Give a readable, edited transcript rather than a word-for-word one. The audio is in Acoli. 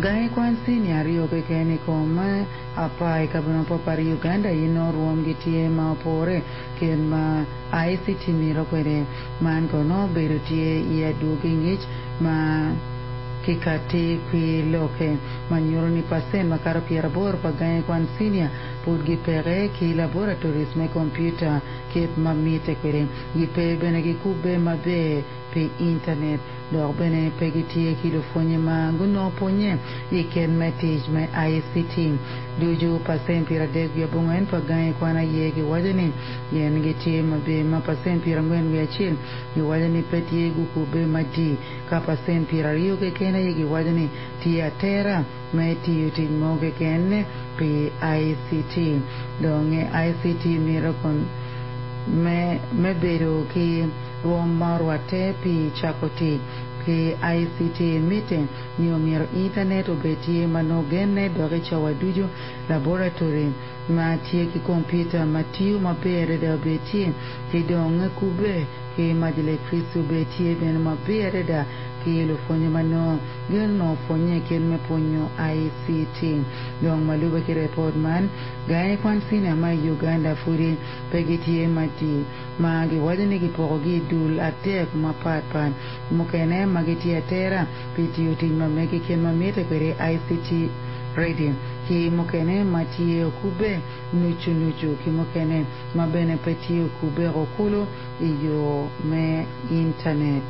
Gangi kwan cinia aryo keken i kom apar i kabedo mapatpat i Uganda aye nongo rwomgi tye ma opore kit ma ICT mito kwede. Man kono obedo tye i adwogi ngic ma kikati ki lokke ma nyuto ni pacent makato 80 pa gangi kwan cinia pud gipeke ki laboratories me kompiuta kit ma mitte kwede. Gipe bene gikubbe maber pi intanet dok bene pe gitye ki lupwonye ma gunongo pwonye i kit me tic me ICT. Ducu pacent 39 pa gangi kwan aye giwaco ni gin gitye maber ma pacent 41 giwaco ni pe tye gukubbe madii ka pacent 20 keken aye giwaco ni tye atera me tiyo tic mo keken pi ICT. Dong ICT mito kon me me bedo ki rwom ma orwatte pi cako tic ki ICT. Mitte ni omyero intanet obed tye ma nongo genne dok i cawa ducu, laboratory ma tye ki kompiuta ma tiyo maber adada obed tye, ki dong kubbe ki mac electricity obed tye bene maber adada ki lupwonye ma nongo gin onongo pwonye kit me pwonyo ICT. Dong ma lube ki repot man, gangi kwan cinia ma i Uganda pudi pe gitye madii ma giwaco ni gipokogi i dul adek mapatpat, mukene ma gitye atera pi tiyo tic ma megi kit ma mitte kwede ICT ready, ki mukene ma tye okubbe nucu nucu ki mukene ma bene pe tye okubbe kulu i yo me intanet.